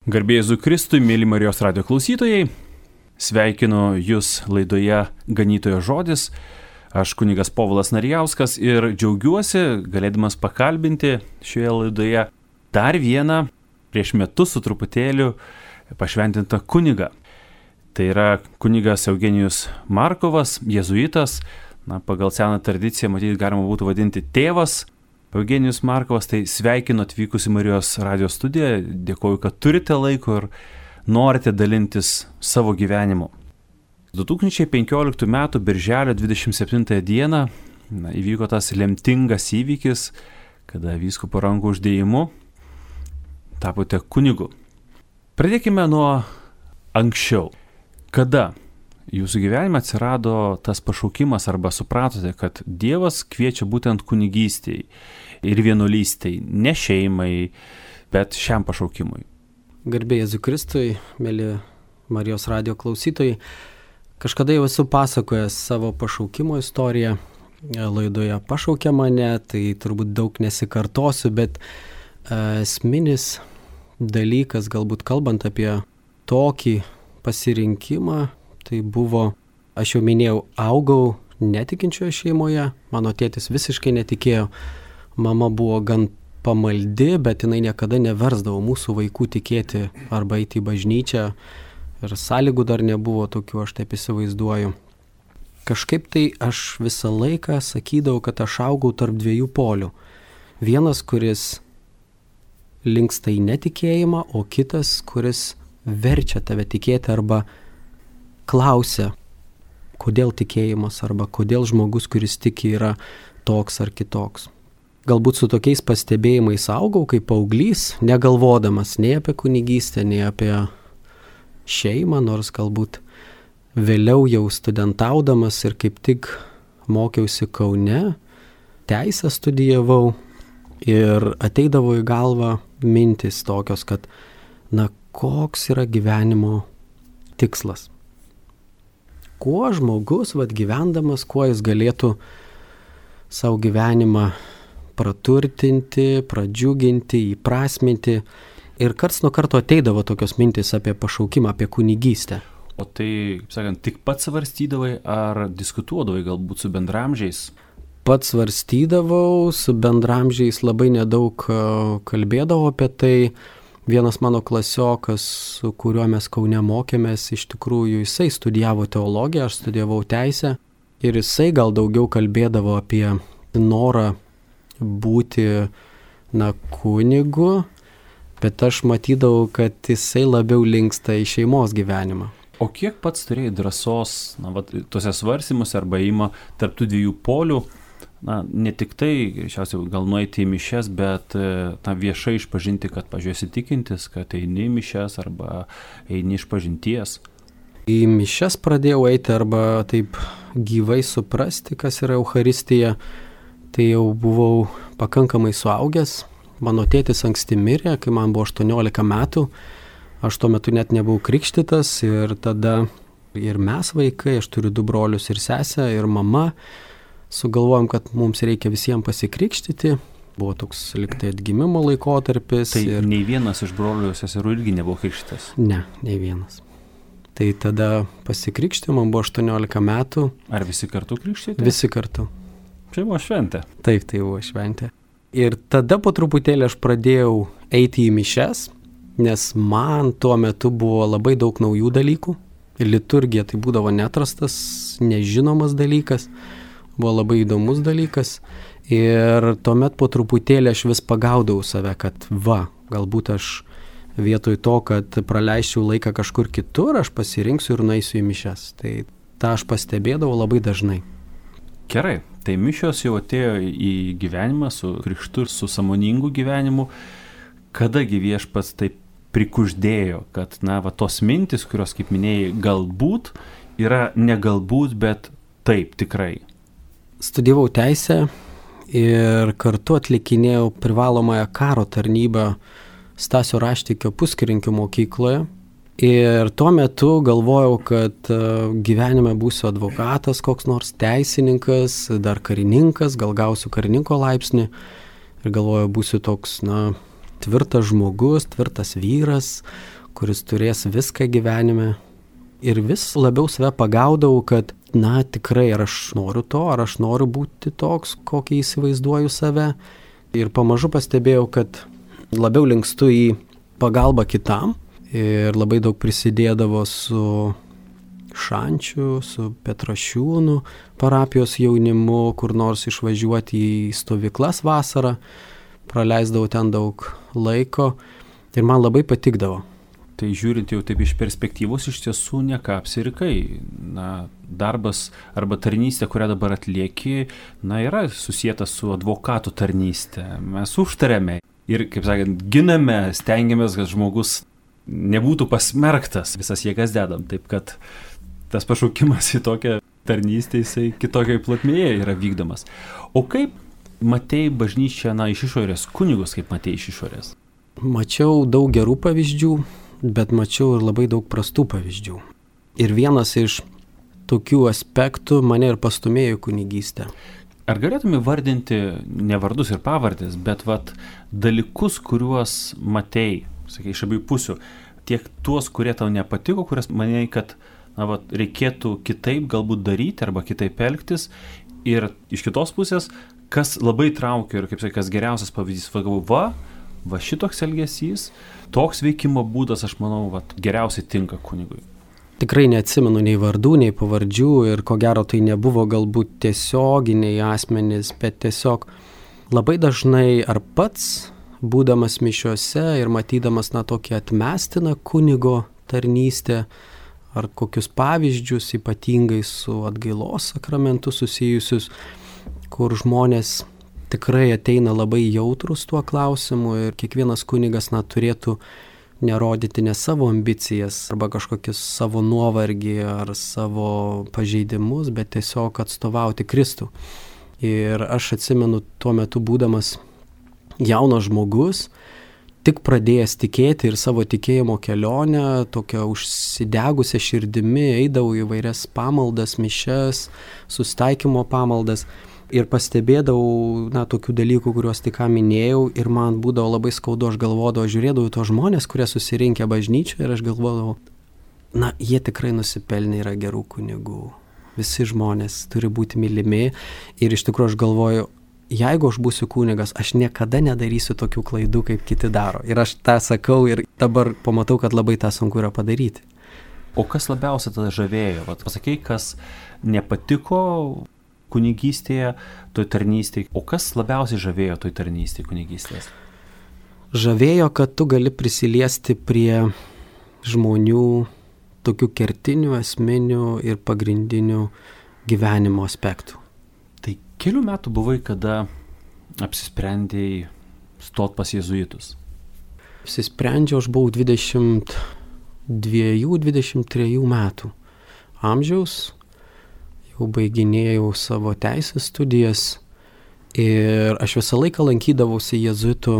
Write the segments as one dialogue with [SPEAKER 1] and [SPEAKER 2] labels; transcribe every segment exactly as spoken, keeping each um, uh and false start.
[SPEAKER 1] Garbė Jėzui Kristui, mėly Marijos radijo klausytojai, sveikinu Jūs laidoje Ganytojo žodis. Aš kunigas Povilas Narijauskas ir džiaugiuosi galėdamas pakalbinti šioje laidoje dar vieną prieš metus su truputėliu pašventintą kunigą. Tai yra kunigas Eugenijus Markovas, jėzuitas, na, pagal seną tradiciją matyti galima būtų vadinti tėvas. Eugenijus Markovas, tai sveikinu atvykus į Marijos radijo studiją, dėkoju, kad turite laiko ir norite dalintis savo gyvenimu. du tūkstančiai penkioliktų metų birželio dvidešimt septintąją dieną na, įvyko tas lemtingas įvykis, kada vyskupo rankų uždėjimu tapote kunigu. Pradėkime nuo anksčiau. Kada jūsų gyvenime atsirado tas pašaukimas arba supratote, kad Dievas kviečia būtent kunigystei ir vienuolystei, ne šeimai, bet šiam pašaukimui?
[SPEAKER 2] Garbė Jėzui Kristui, mėly Marijos radijo klausytojai, kažkada jau esu pasakojęs savo pašaukimo istoriją laidoje Pašaukė mane, tai turbūt daug nesikartosiu, bet esminis dalykas, galbūt kalbant apie tokį pasirinkimą, tai buvo, aš jau minėjau, augau netikinčioje šeimoje, mano tėtis visiškai netikėjo, mama buvo gan pamaldi, bet jinai niekada neversdavo mūsų vaikų tikėti arba eiti į bažnyčią ir sąlygų dar nebuvo tokių, aš taip įsivaizduoju. Kažkaip tai aš visą laiką sakydavau, kad aš augau tarp dviejų polių. Vienas, kuris linksta į netikėjimą, o kitas, kuris verčia tave tikėti arba klausia, kodėl tikėjimas arba kodėl žmogus, kuris tiki, yra toks ar kitoks. Galbūt su tokiais pastebėjimais augau kaip paauglys, negalvodamas nei apie kunigystę, nei apie šeimą, nors galbūt vėliau jau studentaudamas ir kaip tik mokiausi Kaune, teisę studijavau ir ateidavo į galvą mintis tokios, kad na, koks yra gyvenimo tikslas. Kuo žmogus, vat, gyvendamas, kuo jis galėtų savo gyvenimą praturtinti, pradžiuginti, įprasminti. Ir karts nuo karto ateidavo tokios mintis apie pašaukimą, apie kunigystę.
[SPEAKER 1] O tai, kaip sakant, tik pats svarstydavai ar diskutuodavai galbūt su bendramžiais?
[SPEAKER 2] Pats svarstydavau, su bendramžiais labai nedaug kalbėdavau apie tai. Vienas mano klasiokas, su kuriuo mes Kaune mokėmės, iš tikrųjų jisai studijavo teologiją, aš studijavau teisę ir jisai gal daugiau kalbėdavo apie norą būti na, kunigu, bet aš matydavau, kad jisai labiau linksta į šeimos gyvenimą.
[SPEAKER 1] O kiek pats turėjai drąsos, na, vat, tuose svarstymuose arba įima tarp tų dviejų polių, na, ne tik tai, šiausiai gal nueiti į mišias, bet na, viešai išpažinti, kad pažiūrėsi tikintis, kad eini į mišias arba eini iš pažinties?
[SPEAKER 2] Į mišias pradėjau eiti arba taip gyvai suprasti, kas yra Eucharistija. Tai jau buvau pakankamai suaugęs. Mano tėtis anksti mirė, kai man buvo aštuoniolika metų. Aš tuo metu net nebuvau krikštytas ir tada ir mes vaikai, aš turiu du brolius ir sesę ir mama, sugalvojom, kad mums reikia visiems pasikrikštyti. Buvo toks liktai atgimimo laikotarpis.
[SPEAKER 1] Tai
[SPEAKER 2] ir...
[SPEAKER 1] nei vienas iš brolių ir seserų irgi nebuvo krikštytas?
[SPEAKER 2] Ne, nei vienas. Tai tada pasikrikštė, man buvo aštuoniolika metų.
[SPEAKER 1] Ar visi kartu krikštyti?
[SPEAKER 2] Visi kartu.
[SPEAKER 1] Tai buvo šventė.
[SPEAKER 2] Taip, tai buvo šventė. Ir tada po truputėlį aš pradėjau eiti į mišias, nes man tuo metu buvo labai daug naujų dalykų. Liturgija tai būdavo neatrastas, nežinomas dalykas, buvo labai įdomus dalykas. Ir tuomet po truputėlį aš vis pagaudavau save, kad va, galbūt aš vietoj to, kad praleisčiau laiką kažkur kitur, aš pasirinksiu ir nueisiu į mišias. Tai tą aš pastebėdavau labai dažnai.
[SPEAKER 1] Gerai, tai mišios jau atėjo į gyvenimą su krikštu ir su sąmoningu gyvenimu. Kadagi Viešpats taip prikuždėjo, kad, na, va, tos mintis, kurios, kaip minėjai, galbūt yra ne galbūt, bet taip, tikrai.
[SPEAKER 2] Studijavau teisę ir kartu atlikinėjau privalomąją karo tarnybą Stasio Raštikio Puskirinkio mokykloje. Ir tuo metu galvojau, kad gyvenime būsiu advokatas, koks nors teisininkas, dar karininkas, gal gausiu karininko laipsnį. Ir galvojau, būsiu toks, na, tvirtas žmogus, tvirtas vyras, kuris turės viską gyvenime. Ir vis labiau save pagaudavau, kad, na, tikrai, ar aš noriu to, ar aš noriu būti toks, kokį įsivaizduoju save. Ir pamažu pastebėjau, kad labiau linkstu į pagalbą kitam ir labai daug prisidėdavo su Šančių, su Petrašiūnų parapijos jaunimu, kur nors išvažiuoti į stovyklas vasarą, praleisdavau ten daug laiko ir man labai patikdavo.
[SPEAKER 1] Tai žiūrint jau taip iš perspektyvos, iš tiesų neką apsirikai. Na, darbas arba tarnystė, kurią dabar atlieki, na, yra susijęta su advokatų tarnystė. Mes užtariame ir, kaip sakant, giname, stengiamės, kad žmogus nebūtų pasmerktas. Visas jėgas dedam, taip kad tas pašaukimas į tokią tarnystę, jisai kitokioj plotmėje yra vykdomas. O kaip matei bažnyčią, na, iš išorės, kunigus kaip matei iš išorės?
[SPEAKER 2] Mačiau daug gerų pavyzdžių, bet mačiau ir labai daug prastų pavyzdžių. Ir vienas iš tokių aspektų mane ir pastumėjo į kunigystę.
[SPEAKER 1] Ar galėtume vardinti ne vardus ir pavardės, bet vat dalykus, kuriuos matei, sakai, iš abiejų pusių, tiek tuos, kurie tau nepatiko, kurias manėjai, kad na, vat, reikėtų kitaip galbūt daryti arba kitaip elgtis, ir iš kitos pusės, kas labai traukia ir, kaip sakai, kas geriausias pavyzdys, va, va, va šitoks elgesys, toks veikimo būdas, aš manau, vat, geriausiai tinka kunigui.
[SPEAKER 2] Tikrai neatsimenu nei vardų, nei pavardžių ir ko gero tai nebuvo galbūt tiesioginiai asmenys, bet tiesiog labai dažnai ar pats, būdamas mišiuose ir matydamas na tokį atmestiną kunigo tarnystę, ar kokius pavyzdžius ypatingai su atgailos sakramentu susijusius, kur žmonės tikrai ateina labai jautrus tuo klausimu ir kiekvienas kunigas na, turėtų nerodyti ne savo ambicijas arba kažkokius savo nuovargį ar savo pažeidimus, bet tiesiog atstovauti Kristų. Ir aš atsimenu tuo metu būdamas jaunas žmogus, tik pradėjęs tikėti ir savo tikėjimo kelionę, tokią užsidegusią širdimi, eidavau į vairias pamaldas, mišias, susitaikymo pamaldas. Ir pastebėdavau, na, tokių dalykų, kuriuos tik ką minėjau, ir man būdavo labai skaudu, aš galvodavau, žiūrėdavau tos žmonės, kurie susirinkę bažnyčioje, ir aš galvodavau, na, jie tikrai nusipelnė yra gerų kunigų. Visi žmonės turi būti mylimi, ir iš tikrųjų aš galvoju, jeigu aš būsiu kunigas, aš niekada nedarysiu tokių klaidų, kaip kiti daro. Ir aš tą sakau, ir dabar pamatau, kad labai tą sunku yra padaryti.
[SPEAKER 1] O kas labiausiai tada žavėjo? Vat pasakei, kas nepatiko kunigystėje, toj tarnystėje. O kas labiausiai žavėjo toj tarnystėje kunigystės?
[SPEAKER 2] Žavėjo, kad tu gali prisiliesti prie žmonių tokių kertinių, esminių ir pagrindinių gyvenimo aspektų.
[SPEAKER 1] Tai kelių metų buvai, kada apsisprendėjai stot pas jėzuitus?
[SPEAKER 2] Apsisprendžiau, aš buvau dvidešimt dviejų dvidešimt trejų metų amžiaus. Jau baiginėjau savo teisės studijas ir aš visą laiką lankydavausi jėzuitų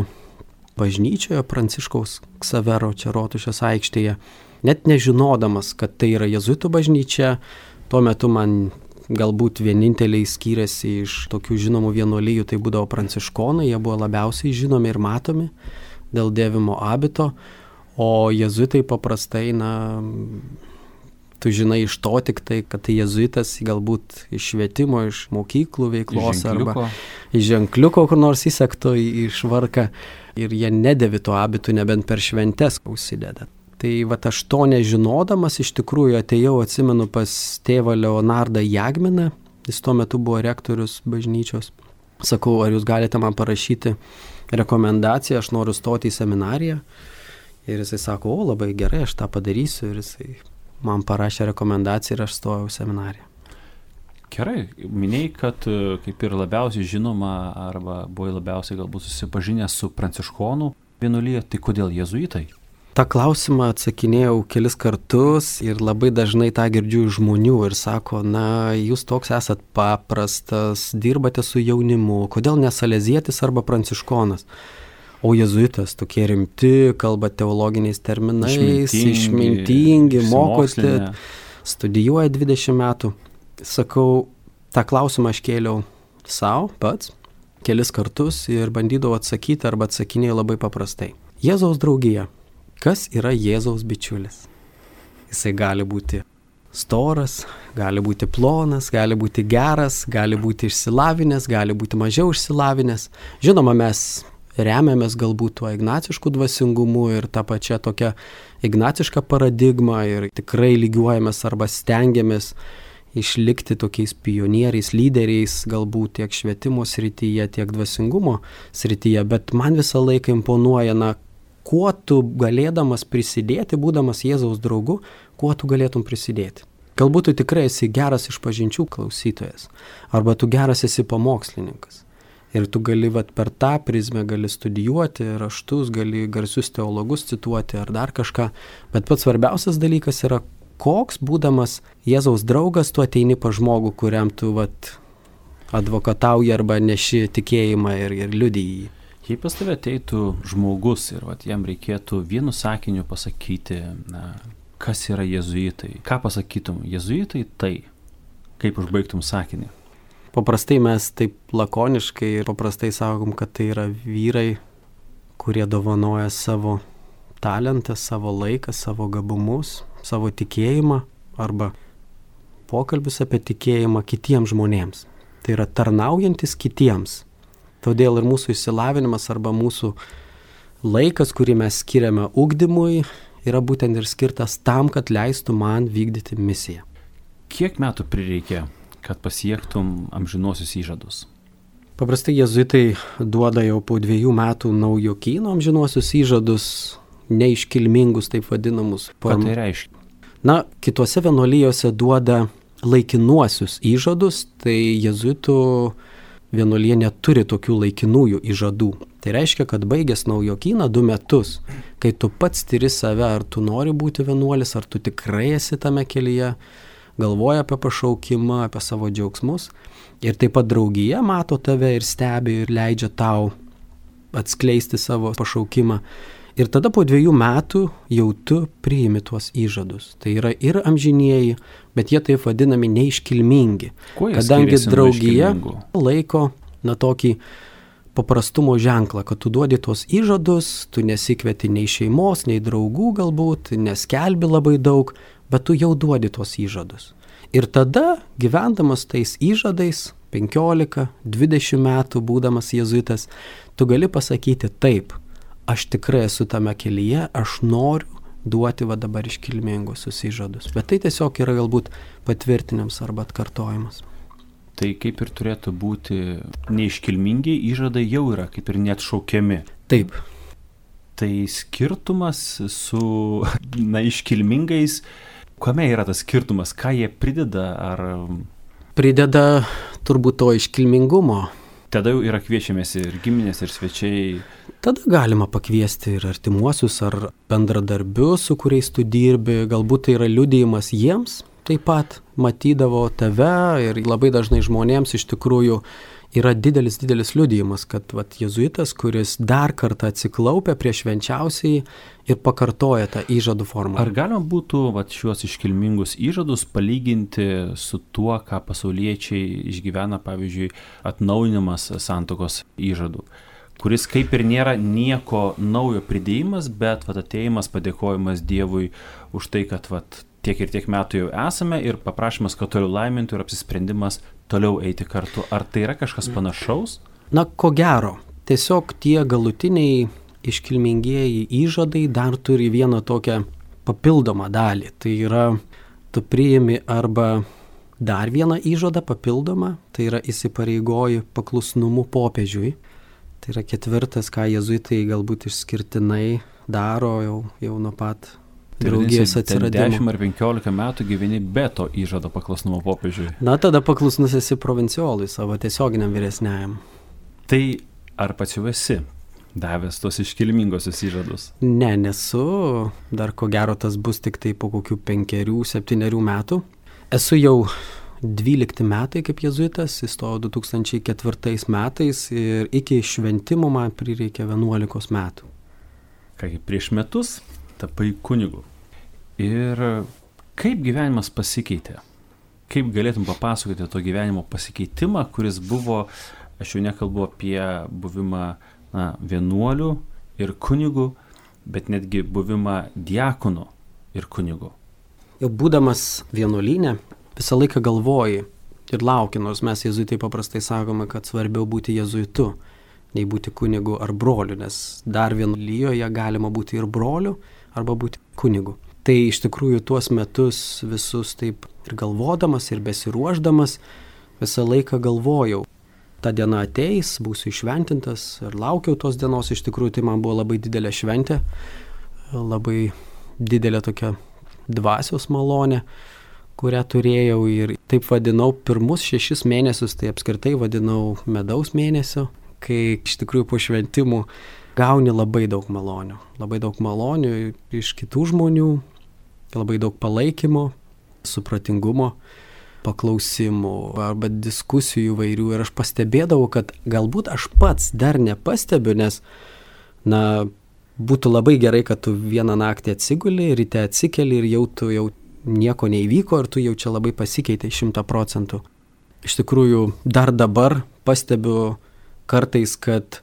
[SPEAKER 2] bažnyčioje Pranciškaus Ksavero čia Rotušės aikštėje, net nežinodamas, kad tai yra jėzuitų bažnyčia. Tuo metu man galbūt vieninteliai skyrėsi iš tokių žinomų vienuolijų, tai būdavo pranciškonai, jie buvo labiausiai žinomi ir matomi dėl dėvimo abito, o jėzuitai paprastai, na, tu žinai iš to tik tai, kad tai jėzuitas galbūt iš švietimo, iš mokyklų veiklos arba iš ženkliuko, kur nors įsekto į švarką ir jie nedėvi to abitų, nebent per šventes užsideda. Tai vat aš to nežinodamas iš tikrųjų atėjau, atsimenu, pas tėvą Leonardą Jagminą, jis tuo metu buvo rektorius bažnyčios. Sakau, ar jūs galite man parašyti rekomendaciją, aš noriu stoti į seminariją. Ir jisai sako, o labai gerai, aš tą padarysiu, ir jisai man parašė rekomendaciją ir aš stojau į seminariją.
[SPEAKER 1] Gerai, minėjai, kad kaip ir labiausiai žinoma arba buvai labiausiai galbūt susipažinęs su pranciškonų vienuolija, tai kodėl jėzuitai?
[SPEAKER 2] Ta klausimą atsakinėjau kelis kartus ir labai dažnai tą girdžiu iš žmonių ir sako, na, jūs toks esat paprastas, dirbate su jaunimu, kodėl ne salezietis arba pranciškonas? O jėzuitas tokie rimti, kalba teologiniais terminais, išmintingi, išmintingi mokote, studijuoja dvidešimt metų. Sakau, tą klausimą aš kėliau savo pats kelis kartus ir bandydavau atsakyti arba atsakinėjau labai paprastai. Jėzaus draugija. Kas yra Jėzaus bičiulis? Jisai gali būti storas, gali būti plonas, gali būti geras, gali būti išsilavinęs, gali būti mažiau išsilavinęs. Žinoma, mes remiamės galbūt tuo ignacišku dvasingumu ir tą pačią tokią ignacišką paradigmą ir tikrai lygiuojamės arba stengiamės išlikti tokiais pionieriais, lyderiais, galbūt tiek švietimo srityje, tiek dvasingumo srityje, bet man visą laiką imponuoja, na, kuo tu galėdamas prisidėti, būdamas Jėzaus draugu, kuo tu galėtum prisidėti. Galbūt tu tikrai esi geras išpažinčių klausytojas, arba tu geras esi pamokslininkas. Ir tu gali vat, per tą prizmę gali studijuoti raštus, gali garsius teologus cituoti ar dar kažką, bet pats svarbiausias dalykas yra, koks būdamas Jėzaus draugas, tu ateini pa žmogų, kuriam tu vat, advokatauji arba neši tikėjimą ir, ir liudiji jį.
[SPEAKER 1] Jei pas tave ateitų žmogus ir vat, jam reikėtų vienu sakiniu pasakyti, na, kas yra jėzuitai, ką pasakytum, jėzuitai tai, kaip užbaigtum sakinį?
[SPEAKER 2] Paprastai mes taip lakoniškai ir paprastai sakom, kad tai yra vyrai, kurie dovanoja savo talentą, savo laiką, savo gabumus, savo tikėjimą arba pokalbius apie tikėjimą kitiems žmonėms. Tai yra tarnaujantis kitiems. Todėl ir mūsų išsilavinimas arba mūsų laikas, kurį mes skiriame ugdymui, yra būtent ir skirtas tam, kad leistų man vykdyti misiją.
[SPEAKER 1] Kiek metų prireikė, kad pasiektum amžinuosius įžadus?
[SPEAKER 2] Paprastai jėzuitai duoda jau po dviejų metų naujokyno amžinuosius įžadus, neiškilmingus, taip vadinamus.
[SPEAKER 1] Ką tai reiškia?
[SPEAKER 2] Na, kitose vienuolijose duoda laikinuosius įžadus, tai jėzuitų vienuolija neturi tokių laikinųjų įžadų. Tai reiškia, kad baigęs naujokyną du metus, kai tu pats tyri save, ar tu nori būti vienuolis, ar tu tikrai esi tame kelyje, galvoja apie pašaukimą, apie savo džiaugsmus. Ir taip pat draugija mato tave ir stebi ir leidžia tau atskleisti savo pašaukimą. Ir tada po dviejų metų jau tu priimi tuos įžadus. Tai yra ir amžinieji, bet jie taip vadinami neiškilmingi. Kadangi draugija laiko na tokį paprastumo ženklą, kad tu duodi tuos įžadus, tu nesikvieti nei šeimos, nei draugų galbūt, neskelbi labai daug, bet tu jau duodi tuos įžadus. Ir tada, gyvendamas tais įžadais, penkiolika, dvidešimt metų būdamas jėzuitas, tu gali pasakyti taip, aš tikrai esu tame kelyje, aš noriu duoti va dabar iškilmingusius įžadus. Bet tai tiesiog yra galbūt patvirtinimas arba atkartojimas.
[SPEAKER 1] Tai kaip ir turėtų būti neiškilmingi įžadai jau yra kaip ir neatšaukiami.
[SPEAKER 2] Taip.
[SPEAKER 1] Tai skirtumas su na, iškilmingais, kame yra tas skirtumas, ką jie prideda ar...
[SPEAKER 2] Prideda turbūt to iškilmingumo.
[SPEAKER 1] Tada jau yra kviečiamės ir giminės, ir svečiai.
[SPEAKER 2] Tada galima pakviesti ir artimuosius, ar bendradarbius, su kuriais tu dirbi. Galbūt tai yra liudijimas jiems, taip pat matydavo tave ir labai dažnai žmonėms iš tikrųjų yra didelis, didelis liudijimas, kad vat, jėzuitas, kuris dar kartą atsiklaupia prieš švenčiausiai ir pakartoja tą įžadų formą.
[SPEAKER 1] Ar galima būtų vat, šiuos iškilmingus įžadus palyginti su tuo, ką pasauliečiai išgyvena, pavyzdžiui, atnaujinimas santuokos įžadų, kuris kaip ir nėra nieko naujo pridėjimas, bet vat, atėjimas, padėkojimas Dievui už tai, kad vat, tiek ir tiek metų jau esame ir paprašymas, kad toliau laimintų ir apsisprendimas toliau eiti kartu. Ar tai yra kažkas panašaus?
[SPEAKER 2] Na, ko gero. Tiesiog tie galutiniai iškilmingieji įžadai dar turi vieną tokią papildomą dalį. Tai yra, tu priimi arba dar vieną įžadą papildomą, tai yra įsipareigoji paklusnumu popiežiui. Tai yra ketvirtas, ką jėzuitai galbūt išskirtinai daro jau, jau nuo pat draugijos atsiradimo.
[SPEAKER 1] dešimt ar penkiolika metų gyveni be to įžado paklusnumo popiežiui.
[SPEAKER 2] Na, tada paklusnus esi provinciolui, savo tiesioginiam vyresniajam.
[SPEAKER 1] Tai ar pats jau esi davęs tos iškilmingosius įžadus?
[SPEAKER 2] Ne, nesu. Dar ko gero tas bus tik tai po kokių penkerių, septynerių metų. Esu jau dvylikti metai kaip jėzuitas, įstojau du tūkstančiai ketvirtais metais ir iki šventimo man prireikė vienuolikos metų.
[SPEAKER 1] Kągi, prieš metus tapai kunigu. Ir kaip gyvenimas pasikeitė? Kaip galėtum papasakoti to gyvenimo pasikeitimą, kuris buvo Aš jau nekalbu apie buvimą na, vienuolių ir kunigų, bet netgi buvimą diakonų ir kunigų.
[SPEAKER 2] Jau būdamas vienuolyne, visą laiką galvoji ir lauki, nors mes jėzuitai paprastai sakome, kad svarbiau būti jėzuitu, nei būti kunigu ar broliu, nes dar vienuolyjoje galima būti ir broliu arba būti kunigu. Tai iš tikrųjų tuos metus visus taip ir galvodamas, ir besiruošdamas, visą laiką galvojau, ta diena ateis, būsiu išventintas ir laukiau tos dienos, iš tikrųjų tai man buvo labai didelė šventė, labai didelė tokia dvasios malonė, kurią turėjau ir taip vadinau pirmus šešis mėnesius, tai apskritai vadinau medaus mėnesio, kai iš tikrųjų po šventimų gauni labai daug malonių, labai daug malonių iš kitų žmonių, labai daug palaikymo, supratingumo, paklausimų arba diskusijų įvairių ir aš pastebėdavau, kad galbūt aš pats dar nepastebiu, nes na, būtų labai gerai, kad tu vieną naktį atsiguli, ryte atsikeli ir jau tu jau nieko neįvyko ir tu jau čia labai pasikeitei šimtą procentų. Iš tikrųjų, dar dabar pastebiu kartais, kad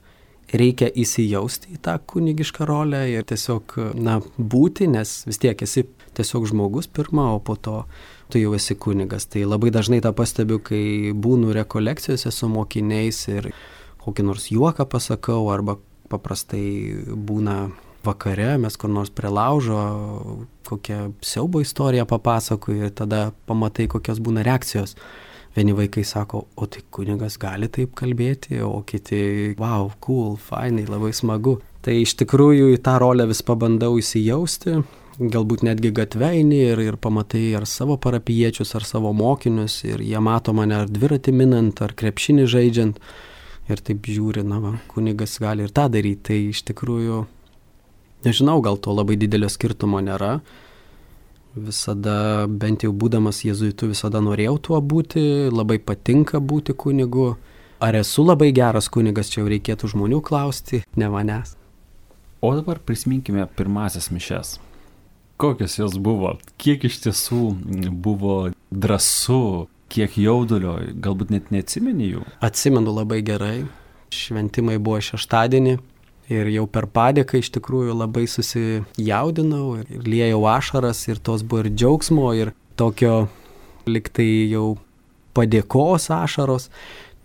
[SPEAKER 2] reikia įsijausti į tą kunigišką rolę ir tiesiog na, būti, nes vis tiek esi tiesiog žmogus pirma, o po to tu jau esi kunigas. Tai labai dažnai tą pastebiu, kai būnu rekolekcijose su mokiniais ir kokį nors juoką pasakau arba paprastai būna vakare, mes kur nors prie laužo kokią siaubo istoriją papasakoju ir tada pamatai, kokios būna reakcijos. Vieni vaikai sako, o tai kunigas gali taip kalbėti, o kiti, wow, cool, fainai, labai smagu. Tai iš tikrųjų į tą rolę vis pabandau įsijausti, galbūt netgi gatve eini ir, ir pamatai ar savo parapijiečius, ar savo mokinius ir jie mato mane ar dviratį minant, ar krepšinį žaidžiant. Ir taip žiūri, na, va, kunigas gali ir tą daryti. Tai iš tikrųjų, nežinau, gal to labai didelio skirtumo nėra. Visada, bent jau būdamas jėzuitu, visada norėjau tuo būti, labai patinka būti kunigu. Ar esu labai geras kunigas, čia jau reikėtų žmonių klausti, ne manęs.
[SPEAKER 1] O dabar prisiminkime pirmasias mišias. Kokios jos buvo? Kiek iš tiesų buvo drąsu? Kiek jaudulio, galbūt net neatsimeni jų?
[SPEAKER 2] Atsimenu labai gerai. Šventimai buvo šeštadienį ir jau per padėką iš tikrųjų labai susijaudinau ir liejau ašaras ir tos buvo ir džiaugsmo ir tokio liktai jau padėkos ašaros.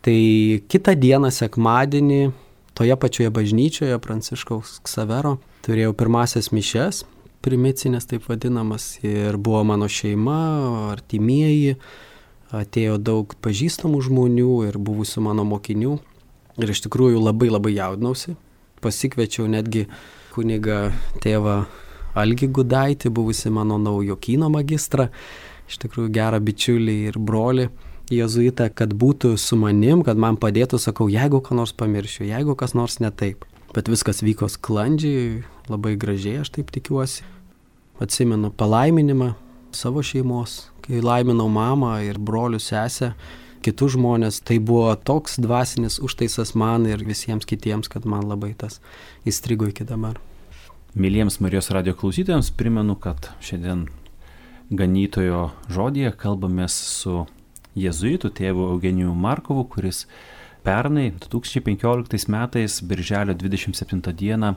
[SPEAKER 2] Tai kitą dieną sekmadienį toje pačioje bažnyčioje Pranciškaus Ksavero turėjau pirmasias mišias, primicinės taip vadinamas ir buvo mano šeima, artimieji. Atėjo daug pažįstamų žmonių ir buvusių mano mokinių ir iš tikrųjų labai labai jaudinausi. Pasikviečiau netgi kunigą tėvą Algį Gudaitį, buvusi mano naujokyno magistrą, iš tikrųjų gerą bičiulį ir brolį jėzuitą, kad būtų su manim, kad man padėtų, sakau, jeigu ką nors pamiršiu, jeigu kas nors ne taip. Bet viskas vyko sklandžiai, labai gražiai, aš taip tikiuosi. Atsimenu palaiminimą savo šeimos, kai laiminau mamą ir brolių sesę, kitus žmonės, tai buvo toks dvasinis užtaisas man ir visiems kitiems, kad man labai tas įstrigo iki dabar.
[SPEAKER 1] Myliems Marijos radijo klausytojams primenu, kad šiandien ganytojo žodyje kalbamės su jėzuitu tėvu Eugenijų Markovu, kuris pernai du tūkstančiai penkioliktais metais birželio dvidešimt septintą dieną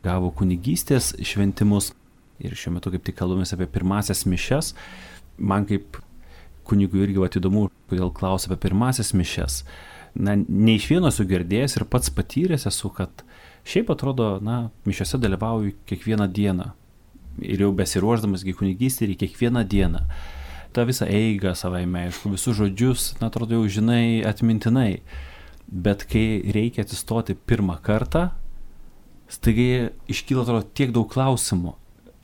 [SPEAKER 1] gavo kunigystės šventimus. Ir šiuo metu kaip tik kalbamės apie pirmasias mišias. Man kaip kunigui irgi vat įdomu, kodėl klausia apie pirmasias mišias. Na, ne iš vieno esu girdėjęs ir pats patyręs esu, kad šiaip atrodo, na, mišiose dalyvauju kiekvieną dieną. Ir jau besiruošdamas į kunigystę ir kiekvieną dieną. Ta visą eigą savaime, aišku, visus žodžius, na, atrodo, jau žinai atmintinai. Bet kai reikia atsistoti pirmą kartą, staigiai iškyla, atrodo, tiek daug klausimų.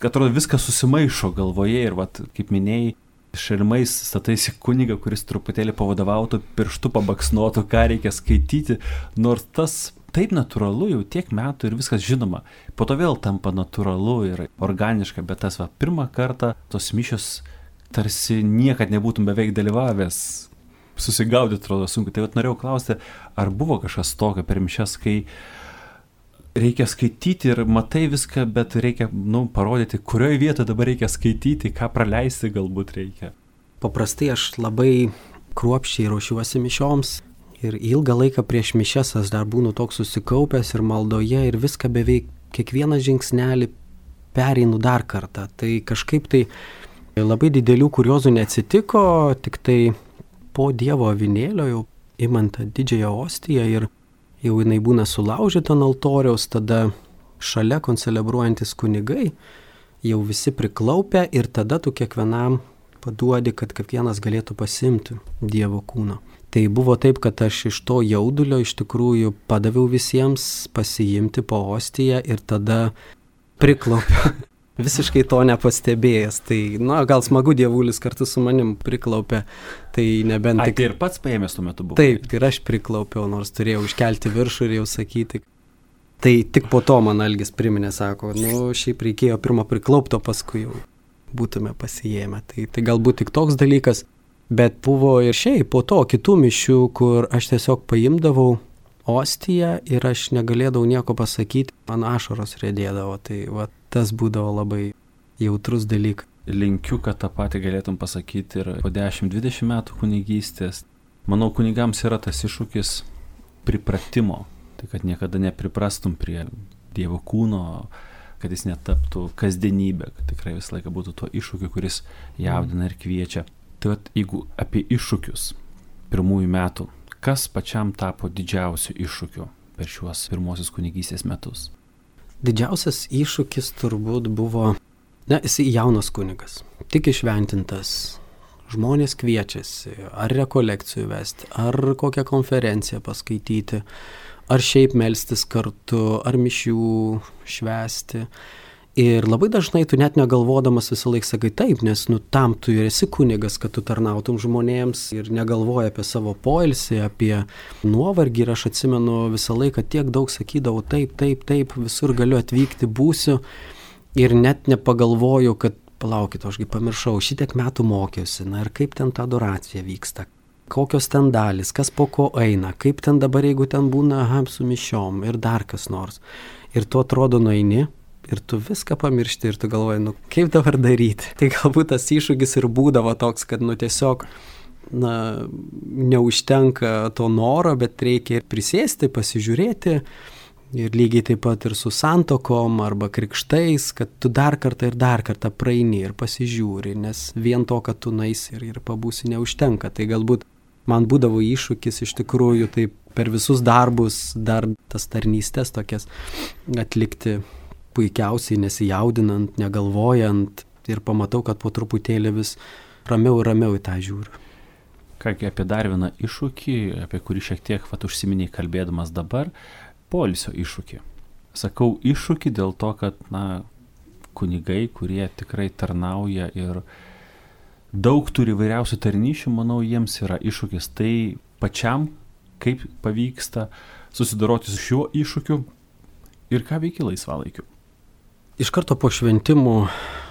[SPEAKER 1] Atrodo, viskas susimaišo galvoje ir, vat, kaip minėjai, šalimais stataisi kunigą, kuris truputėlį pavadovautų, pirštų pabaksnuotų, ką reikia skaityti, nors tas taip natūralu jau tiek metų ir viskas žinoma. Po to vėl tampa natūralu ir organiška, bet tas va, pirmą kartą tos mišios tarsi niekad nebūtum beveik dalyvavęs. Susigaudyti, atrodo, sunku. Tai vat norėjau klausti, ar buvo kažkas tokio per mišias, kai reikia skaityti ir matai viską, bet reikia, nu, parodyti, kurioje vietoje dabar reikia skaityti, ką praleisti galbūt reikia.
[SPEAKER 2] Paprastai aš labai kruopščiai ruošiuosi mišioms Ir ilgą laiką prieš mišias aš dar būnu toks susikaupęs ir maldoje ir viską beveik kiekvieną žingsnelį pereinu dar kartą. Tai kažkaip tai labai didelių kuriozų neatsitiko, tik tai po Dievo avinėlio jau imant tą didžiąją ostiją ir jau jinai būna sulaužyta ant altoriaus, tada šalia koncelebruojantis kunigai jau visi priklaupę ir tada tu kiekvienam paduodi, kad kiekvienas galėtų pasimti Dievo kūno. Tai buvo taip, kad aš iš to jaudulio iš tikrųjų padaviau visiems pasiimti po ostiją ir tada priklaupiau. Visiškai to nepastebėjęs. Tai, na, gal smagu dievulis kartu su manim priklaupė. Tai nebent...
[SPEAKER 1] Ai,
[SPEAKER 2] tik...
[SPEAKER 1] tai ir pats paėmęs tuo metu buvo.
[SPEAKER 2] Taip, ir aš priklaupiau, nors turėjau iškelti viršų ir jau sakyti. Tai tik po to man Algis priminė, sako, nu, šiaip reikėjo pirmą priklaupto, paskui jau būtume pasijėmę. Tai, tai galbūt tik toks dalykas, bet buvo ir šiaip po to kitų mišių, kur aš tiesiog paimdavau ostiją ir aš negalėdavau nieko pasakyti, man ašaros riedėdavo, tai va, tas būdavo labai jautrus dalykas.
[SPEAKER 1] Linkiu, kad tą patį galėtum pasakyti ir po dešimt dvidešimt metų kunigystės. Manau, kunigams yra tas iššūkis pripratimo, tai kad niekada nepriprastum prie Dievo kūno, kad jis netaptų kasdienybę, kad tikrai visą laiką būtų tuo iššūkiu, kuris jaudina ir kviečia. Tai vat, jeigu apie iššūkius pirmųjų metų, kas pačiam tapo didžiausiu iššūkiu per šiuos pirmosius kunigystės metus?
[SPEAKER 2] Didžiausias iššūkis turbūt buvo, na, jisai jaunas kunigas, tik išventintas, žmonės kviečiasi, ar rekolekcijų vesti, ar kokią konferenciją paskaityti, ar šiaip melstis kartu, ar mišių švęsti. Ir labai dažnai tu net negalvodamas visą laiką sakai taip, nes nu tam tu ir esi kunigas, kad tu tarnautum žmonėms ir negalvoji apie savo poilsį, apie nuovargį. Ir aš atsimenu visą laiką tiek daug sakydavau taip, taip, taip, visur galiu atvykti, būsiu. Ir net nepagalvoju, kad palaukit, ašgi pamiršau, šitiek metų mokiausi, na ir kaip ten ta adoracija vyksta, kokios ten dalys, kas po ko eina, kaip ten dabar, jeigu ten būna aha, su mišiom ir dar kas nors. Ir tu atrodo nueini. Ir tu viską pamiršti ir tu galvoji, nu kaip dabar daryti. Tai galbūt tas iššūkis ir būdavo toks, kad nu tiesiog na, neužtenka to noro, bet reikia ir prisėsti, pasižiūrėti. Ir lygiai taip pat ir su santokom arba krikštais, kad tu dar kartą ir dar kartą praeini ir pasižiūri, nes vien to, kad tu naisi ir, ir pabūsi, neužtenka. Tai galbūt man būdavo iššūkis iš tikrųjų taip per visus darbus dar tas tarnystės tokias atlikti puikiausiai, nesijaudinant, negalvojant ir pamatau, kad po truputėlį vis ramiau ir ramiau į tą žiūriu.
[SPEAKER 1] Kągi apie dar vieną iššūkį, apie kurį šiek tiek vat, užsiminiai kalbėdamas dabar, poilsio iššūkį. Sakau iššūkį dėl to, kad na, kunigai, kurie tikrai tarnauja ir daug turi vairiausių tarnyšių, manau, jiems yra iššūkis. Tai pačiam, kaip pavyksta susidoroti su šiuo iššūkiu ir ką veiki laisvalaikiu.
[SPEAKER 2] Iš karto po šventimų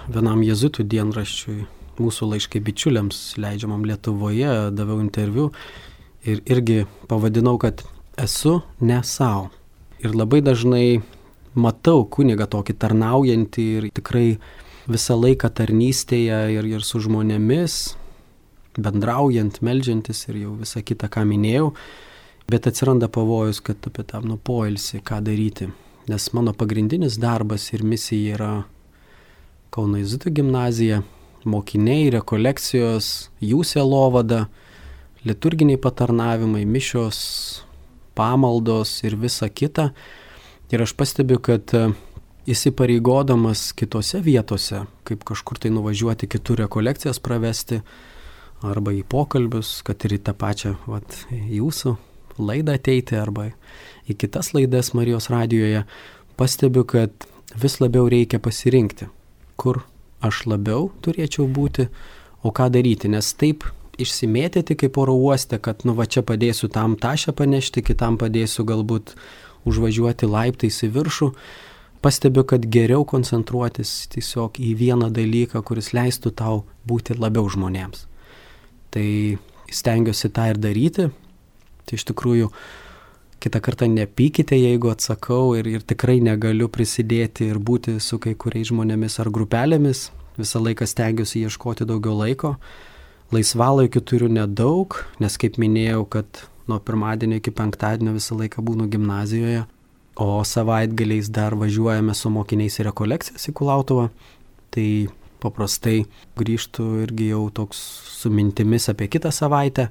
[SPEAKER 2] vienam jėzuitų dienraščiui, mūsų laiškai bičiuliams leidžiamam Lietuvoje, daviau interviu ir irgi pavadinau, kad esu ne sau. Ir labai dažnai matau kunigą tokį tarnaujantį ir tikrai visą laiką tarnystėje ir, ir su žmonėmis, bendraujant, meldžiantis ir jau visą kitą, ką minėjau, bet atsiranda pavojus, kad apie tą nu poilsį, ką daryti. Nes mano pagrindinis darbas ir misija yra Kauno jėzuitų gimnazija, mokiniai, rekolekcijos, jų sielovada, liturginiai patarnavimai, mišios, pamaldos ir visa kita. Ir aš pastebiu, kad įsipareigodamas kitose vietose, kaip kažkur tai nuvažiuoti kitur rekolekcijas pravesti, arba į pokalbius, kad ir į tą pačią vat, jūsų laidą ateiti, arba į kitas laidas Marijos radijoje, pastebiu, kad vis labiau reikia pasirinkti, kur aš labiau turėčiau būti, o ką daryti, nes taip išsimėtyti kaip oro uoste, kad nu va čia padėsiu tam tašę panešti, kitam padėsiu galbūt užvažiuoti laiptais į viršų, pastebiu, kad geriau koncentruotis tiesiog į vieną dalyką, kuris leistų tau būti labiau žmonėms. Tai stengiuosi tą ir daryti. Tai iš tikrųjų, kitą kartą nepykite, jeigu atsakau ir, ir tikrai negaliu prisidėti ir būti su kai kuriais žmonėmis ar grupelėmis. Visą laiką stengiuosi ieškoti daugiau laiko. Laisvalaikių turiu nedaug, nes kaip minėjau, kad nuo pirmadienio iki penktadienio visą laiką būnu gimnazijoje, o savaitgaliais dar važiuojame su mokiniais į rekolekcijas į Kulautuvą. Tai paprastai grįžtu irgi jau toks su mintimis apie kitą savaitę,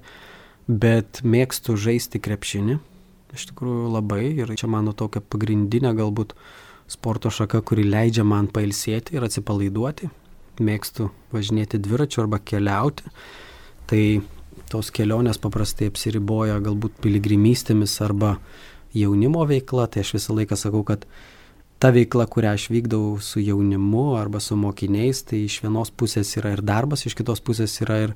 [SPEAKER 2] bet mėgstu žaisti krepšinį. Iš tikrųjų labai, ir čia mano tokia pagrindinė galbūt sporto šaka, kuri leidžia man pailsėti ir atsipalaiduoti. Mėgstu važinėti dviračiu arba keliauti. Tai tos kelionės paprastai apsiriboja galbūt piligrimystėmis arba jaunimo veikla. Tai aš visą laiką sakau, kad ta veikla, kurią aš vykdau su jaunimu arba su mokiniais, tai iš vienos pusės yra ir darbas, iš kitos pusės yra ir,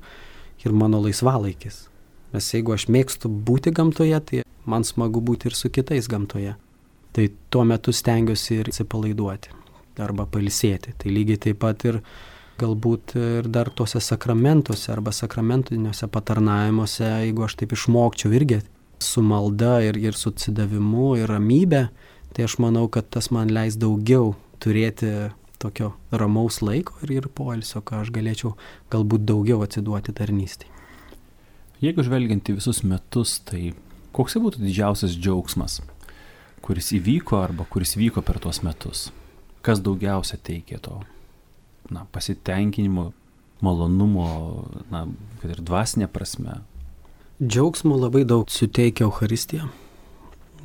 [SPEAKER 2] ir mano laisvalaikis. Nes jeigu aš mėgstu būti gamtoje, tai man smagu būti ir su kitais gamtoje. Tai tuo metu stengiuosi ir atsipalaiduoti arba pailsėti. Tai lygiai taip pat ir galbūt ir dar tuose sakramentuose arba sakramentiniuose patarnavimuose, jeigu aš taip išmokčiau irgi su malda ir, ir su atsidavimu ir ramybė, tai aš manau, kad tas man leis daugiau turėti tokio ramaus laiko ir, ir poilsio, ką aš galėčiau galbūt daugiau atsiduoti tarnystei.
[SPEAKER 1] Jeigu žvelgiant į visus metus, tai koks būtų didžiausias džiaugsmas, kuris įvyko arba kuris vyko per tuos metus? Kas daugiausia teikė to na, pasitenkinimo, malonumo, na, kad ir dvasinė prasme?
[SPEAKER 2] Džiaugsmo labai daug suteikia Eucharistija.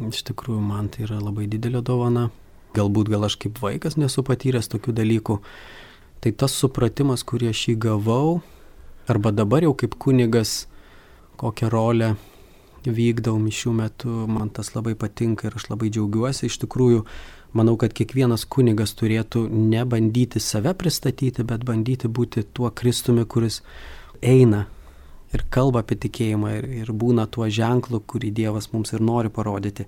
[SPEAKER 2] Iš tikrųjų, man tai yra labai didelė dovana. Galbūt gal aš kaip vaikas nesu patyręs tokių dalykų. Tai tas supratimas, kurį aš įgavau, arba dabar jau kaip kunigas, kokią rolę vykdau mišių metu, man tas labai patinka ir aš labai džiaugiuosi. Iš tikrųjų, manau, kad kiekvienas kunigas turėtų ne bandyti save pristatyti, bet bandyti būti tuo Kristumi, kuris eina ir kalba apie tikėjimą ir, ir būna tuo ženklu, kurį Dievas mums ir nori parodyti.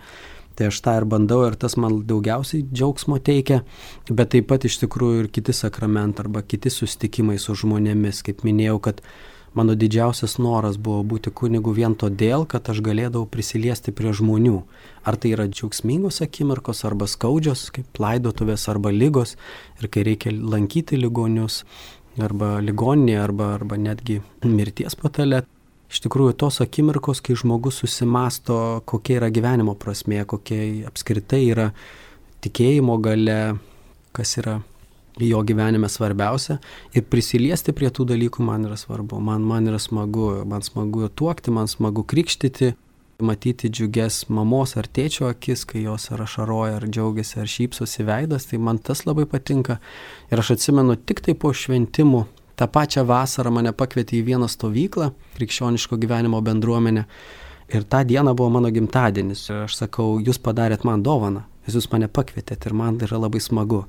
[SPEAKER 2] Tai aš tą ir bandau ir tas man daugiausiai džiaugsmo teikia, bet taip pat iš tikrųjų ir kiti sakramentai arba kiti susitikimai su žmonėmis. Kaip minėjau, kad mano didžiausias noras buvo būti kunigu vien todėl, kad aš galėdavau prisiliesti prie žmonių. Ar tai yra džiaugsmingos akimirkos arba skaudžios, kaip laidotuvės arba ligos, ir kai reikia lankyti ligonius, arba ligoninė, arba, arba netgi mirties patale. Iš tikrųjų, tos akimirkos, kai žmogus susimasto, kokia yra gyvenimo prasmė, kokia apskritai yra tikėjimo galia, kas yra jo gyvenime svarbiausia, ir prisiliesti prie tų dalykų man yra svarbu. Man, man yra smagu, man smagu tuokti, man smagu krikštyti, matyti džiugias mamos ar tėčio akis, kai jos ar ašaroja, ar džiaugiasi, ar šypsosi veidas, tai man tas labai patinka. Ir aš atsimenu, tik tai po šventimų, tą pačią vasarą mane pakvietė į vieną stovyklą, krikščioniško gyvenimo bendruomenę, ir tą dieną buvo mano gimtadienis. Ir aš sakau, jūs padarėt man dovaną, jūs mane pakvietėt ir man yra labai smagu.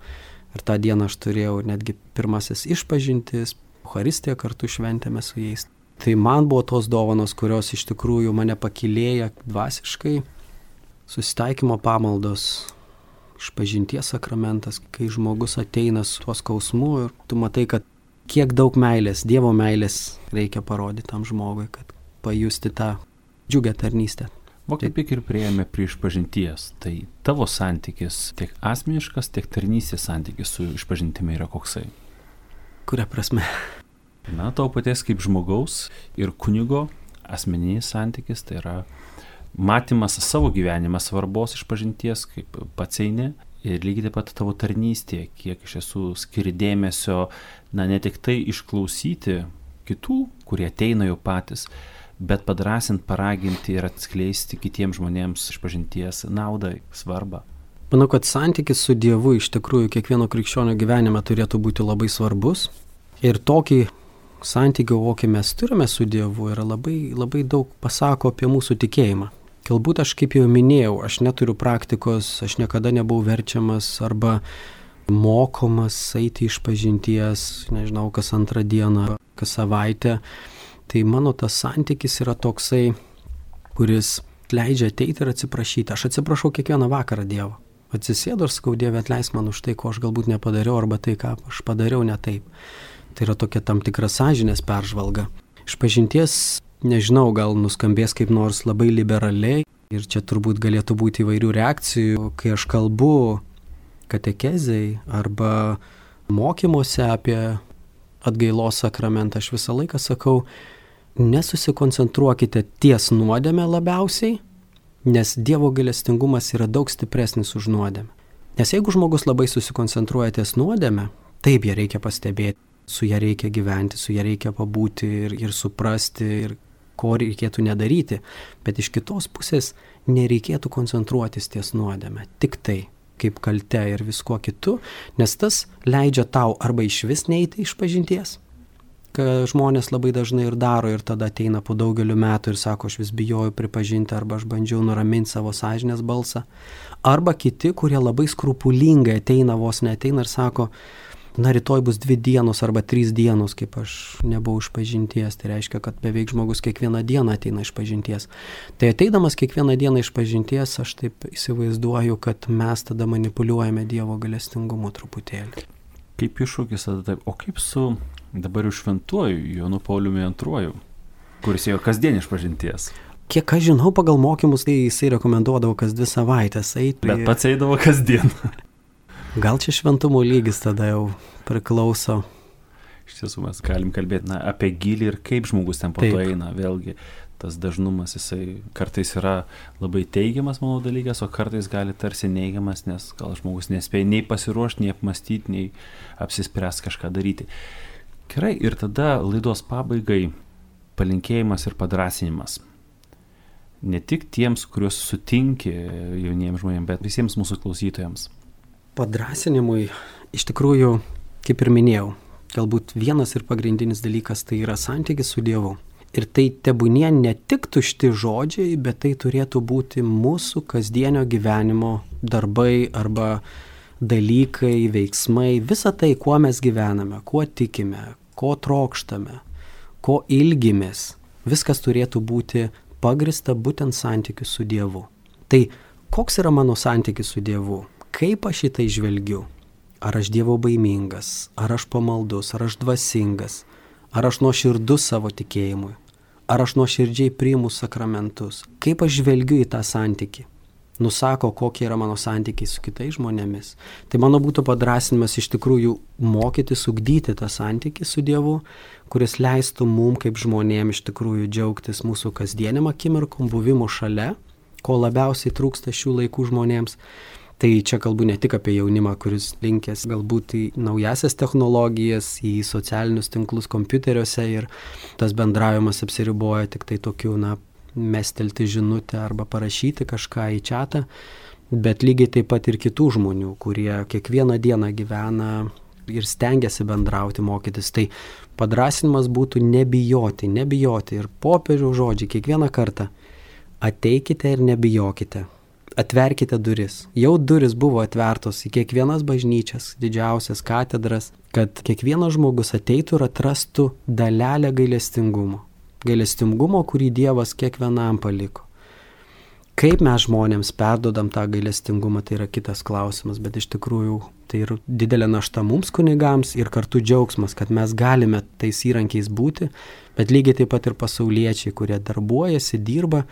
[SPEAKER 2] Ir tą dieną aš turėjau netgi pirmasis išpažintis, Eucharistiją kartu šventėme su jais. Tai man buvo tos dovanos, kurios iš tikrųjų mane pakylėja dvasiškai. Susitaikymo pamaldos, išpažinties sakramentas, kai žmogus ateina su tuo skausmu ir tu matai, kad kiek daug meilės, Dievo meilės reikia parodyti tam žmogui, kad pajusti tą džiugę tarnystę.
[SPEAKER 1] O kaip ir priėjome prie išpažinties, tai tavo santykis tiek asmeniškas, tiek tarnystės santykis su išpažintimi yra koksai?
[SPEAKER 2] Kuria prasme?
[SPEAKER 1] Na, tavo paties kaip žmogaus ir kunigo asmeninis santykis, tai yra matymas savo gyvenimą svarbos išpažinties, kaip pats eini, ir lygiai taip pat tavo tarnystė, kiek iš tiesų skiri dėmesio, na, ne tik tai išklausyti kitų, kurie ateina jau patys, bet padrasint, paraginti ir atskleisti kitiems žmonėms išpažinties naudą, svarbą.
[SPEAKER 2] Manau, kad santykis su Dievu iš tikrųjų kiekvieno krikščionio gyvenime turėtų būti labai svarbus. Ir tokį santykį, kokį mes turime su Dievu, yra labai, labai daug pasako apie mūsų tikėjimą. Galbūt aš, kaip jau minėjau, aš neturiu praktikos, aš niekada nebuvau verčiamas arba mokomas eiti išpažinties, nežinau, kas antrą dieną, kas savaitę. Tai mano tas santykis yra toksai, kuris leidžia ateiti ir atsiprašyti. Aš atsiprašau kiekvieną vakarą Dievo. Atsisėdu ir sakau, Dieve, atleisk man už tai, ko aš galbūt nepadariau, arba tai, ką aš padariau ne taip. Tai yra tokia tam tikra sąžinės peržvalga. Išpažinties, nežinau, gal nuskambės kaip nors labai liberaliai, ir čia turbūt galėtų būti įvairių reakcijų, kai aš kalbu katekezei arba mokymuose apie atgailos sakramentą, aš visą laiką sakau, nesusikoncentruokite ties nuodėme labiausiai, nes Dievo gailestingumas yra daug stipresnis už nuodėmę. Nes jeigu žmogus labai susikoncentruoja ties nuodėme, taip ją reikia pastebėti, su ją reikia gyventi, su ją reikia pabūti ir, ir suprasti, ir ko reikėtų nedaryti, bet iš kitos pusės nereikėtų koncentruotis ties nuodėme, tik tai kaip kalte ir viskuo kitu, nes tas leidžia tau arba iš vis neiti iš pažinties, ką žmonės labai dažnai ir daro ir tada ateina po daugelių metų ir sako, aš vis bijojau pripažinti arba aš bandžiau nuraminti savo sąžinės balsą, arba kiti, kurie labai skrupulingai ateina, vos neateina ir sako, na rytoj bus dvi dienos arba trys dienos, kaip aš nebuvau iš pažinties, tai reiškia, kad beveik žmogus kiekvieną dieną ateina iš pažinties. Tai ateidamas kiekvieną dieną iš pažinties, aš taip įsivaizduoju, kad mes tada manipuliuojame Dievo gailestingumu truputėlį.
[SPEAKER 1] Kaip iššūkis tada taip, o kaip su dabar jau šventuoju Jonu Pauliumi antruoju, kuris ėjo kasdien iš pažinties?
[SPEAKER 2] Kiek aš žinau, pagal mokymus, tai jisai rekomenduodavo kas dvi savaitės eiti.
[SPEAKER 1] Bet pats eidavo kasdien.
[SPEAKER 2] Gal čia šventumo lygis tada jau priklauso.
[SPEAKER 1] Iš tiesų mes galim kalbėti na, apie gilį ir kaip žmogus ten po to eina. Vėlgi tas dažnumas jisai kartais yra labai teigiamas, manau, dalykas, o kartais gali tarsi neigiamas, nes gal žmogus nespėja nei pasiruošti, nei apmastyti, nei apsispręsti kažką daryti. Gerai, ir tada laidos pabaigai palinkėjimas ir padrasinimas. Ne tik tiems, kuriuos sutinki jauniems žmonėms, bet visiems mūsų klausytojams.
[SPEAKER 2] Padrasinimui, iš tikrųjų, kaip ir minėjau, galbūt vienas ir pagrindinis dalykas tai yra santykis su Dievu. Ir tai tebūnie ne tik tušti žodžiai, bet tai turėtų būti mūsų kasdienio gyvenimo darbai arba dalykai, veiksmai, visa tai, kuo mes gyvename, kuo tikime, ko trokštame, ko ilgimės, viskas turėtų būti pagrista būtent santykiu su Dievu. Tai koks yra mano santykis su Dievu? Kaip aš į tai žvelgiu? Ar aš Dievo baimingas, ar aš pamaldus, ar aš dvasingas, ar aš nuoširdus savo tikėjimui, ar aš nuoširdžiai priimu sakramentus? Kaip aš žvelgiu į tą santykį? Nusako, kokie yra mano santykiai su kitais žmonėmis. Tai mano būtų padrasinimas iš tikrųjų mokytis, ugdyti tą santykį su Dievu, kuris leistų mum kaip žmonėm iš tikrųjų džiaugtis mūsų kasdieniam akimirkom, buvimu šalia, ko labiausiai trūksta šių laikų žmonėms. Tai čia kalbu ne tik apie jaunimą, kuris linkęs galbūt į naujasias technologijas, į socialinius tinklus kompiuteriuose ir tas bendravimas apsiriboja tik tai tokiu, na, mestelti žinutę arba parašyti kažką į čatą, bet lygiai taip pat ir kitų žmonių, kurie kiekvieną dieną gyvena ir stengiasi bendrauti, mokytis. Tai padrasinimas būtų nebijoti, nebijoti ir popiežiaus žodžiai kiekvieną kartą. Ateikite ir nebijokite. Atverkite duris. Jau duris buvo atvertos į kiekvienas bažnyčias, didžiausias katedras, kad kiekvienas žmogus ateitų ir atrastų dalelę gailestingumo. Gailestingumo, kurį Dievas kiekvienam paliko. Kaip mes žmonėms perdodam tą gailestingumą, tai yra kitas klausimas, bet iš tikrųjų tai yra didelė našta mums kunigams ir kartu džiaugsmas, kad mes galime tais įrankiais būti, bet lygiai taip pat ir pasauliečiai, kurie darbuojasi, dirba,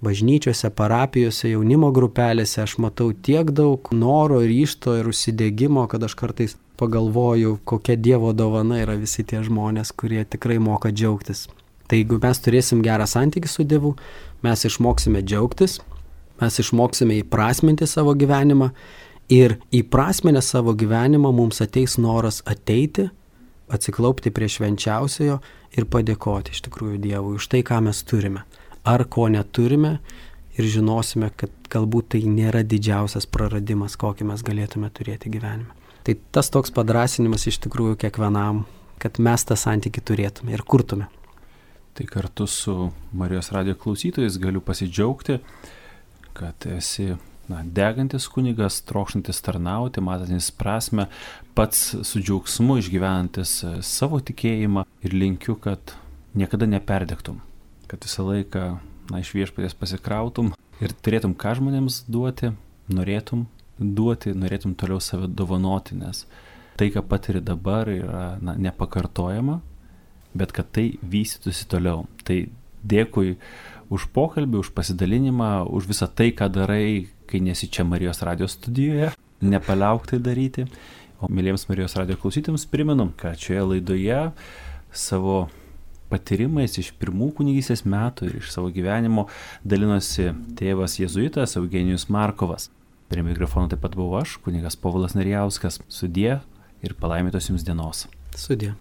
[SPEAKER 2] bažnyčiose, parapijose, jaunimo grupelėse, aš matau tiek daug noro, ryžto ir užsidegimo, kad aš kartais pagalvoju, kokia Dievo dovana yra visi tie žmonės, kurie tikrai moka džiaugtis. Tai jeigu mes turėsim gerą santykį su Dievu, mes išmoksime džiaugtis, mes išmoksime įprasminti savo gyvenimą ir įprasminę savo gyvenimą mums ateis noras ateiti, atsiklaupti prie švenčiausiojo ir padėkoti iš tikrųjų Dievui už tai, ką mes turime. Ar ko neturime ir žinosime, kad galbūt tai nėra didžiausias praradimas, kokį mes galėtume turėti gyvenime. Tai tas toks padrasinimas iš tikrųjų kiekvienam, kad mes tą santykį turėtume ir kurtume.
[SPEAKER 1] Tai kartu su Marijos radijo klausytojais galiu pasidžiaugti, kad esi na, degantis kunigas, trokštantis tarnauti, matantis prasme, pats su džiaugsmu išgyvenantis savo tikėjimą ir linkiu, kad niekada neperdegtum. Kad visą laiką na, iš viešpaties pasikrautum ir turėtum ką žmonėms duoti, norėtum duoti, norėtum toliau save dovanoti, nes tai, ką patiri dabar, yra na, nepakartojama, bet kad tai vystytųsi toliau. Tai dėkui už pokalbį, už pasidalinimą, už visą tai, ką darai, kai nesi čia Marijos radijo studijoje, nepaliauk tai daryti. O mėlyjams Marijos radijo klausytėms primenu, kad šioje laidoje savo patyrimais iš pirmų kunigystės metų ir iš savo gyvenimo dalinosi tėvas jėzuitas Eugenijus Markovas. Prie mikrofono taip pat buvau aš, kunigas Povilas Narijauskas. Sudie ir palaimintos jums dienos.
[SPEAKER 2] Sudie.